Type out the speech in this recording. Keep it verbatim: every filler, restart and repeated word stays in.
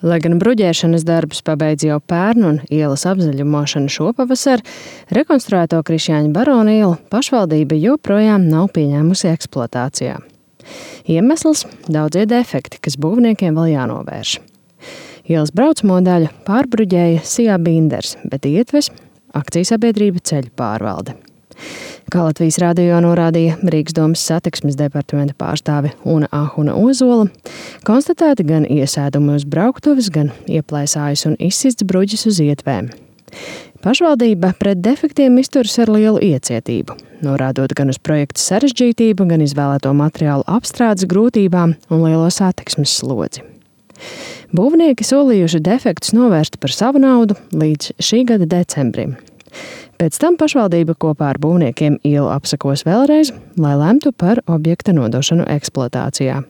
Lai gan bruģēšanas darbus pabeidz jau pērn un ielas apzaļumošana šopavasar, rekonstruēto Krišjāņa barona ielu pašvaldība joprojām nav pieņēmusi eksploatācijā. Iemesls – daudzie defekti, kas būvniekiem vēl jānovērš. Ielas braucamo daļu pārbruģēja Sijā Binders, bet ietves akcijas-sabiedrība Ceļu pārvalde. Kā Latvijas radio norādīja Rīgas domas satiksmes departamenta pārstāve Una Ahuna Ozola, konstatēti gan iesēdumi uz brauktuves, gan ieplēsājus un izsists bruģis uz ietvēm. Pašvaldība pret defektiem izturas ar lielu iecietību, norādot gan uz projekta sarežģītību, gan izvēlēto materiālu apstrādes grūtībām un lielo satiksmes slodzi. Būvnieki solījuši defektus novērst par savu naudu līdz šī gada decembrim. Pēc tam pašvaldība kopā ar būvniekiem ielu apsakos vēlreiz, lai lemtu par objekta nodošanu eksploatācijā.